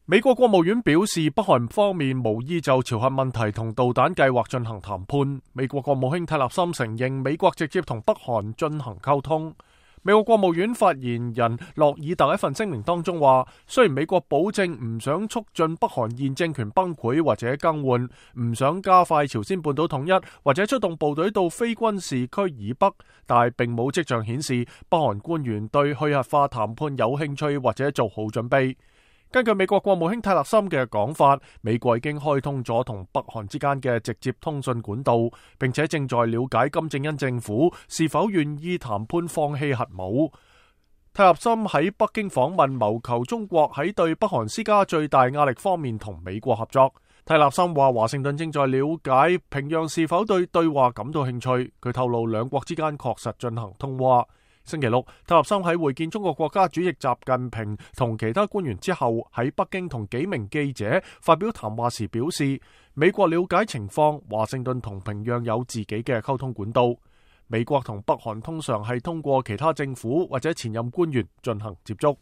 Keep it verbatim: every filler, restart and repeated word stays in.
美國國務院表示，北韓方面無意就朝核問題同導彈計劃進行談判。美國國務卿蒂勒森承認美國直接同北韓進行溝通。美國國務院發言人洛爾特一份聲明當中話，雖然美國保證唔想促進北韓現政權崩潰或者更換，唔想加快朝鮮半島統一或者出動部隊到非軍事區以北，但係並冇跡象顯示北韓官員對去核化談判有興趣或者做好準備。根據美國國務卿蒂勒森嘅講法，美國已經開通咗同北韓之間嘅直接通訊管道，並且正在了解金正恩政府是否願意談判放棄核武。蒂勒森喺北京訪問，謀求中國喺對北韓施加最大壓力方面同美國合作。蒂勒森話，華盛頓正在了解平壤是否對對話感到興趣。佢透露兩國之間確實進行通話。星期六，蒂勒森喺會見中國國家主席習近平同其他官員之後，喺北京同幾名記者發表談話時表示，美國了解情況，華盛頓同平壤有自己嘅溝通管道。美國同北韓通常係通過其他政府或者前任官員進行接觸。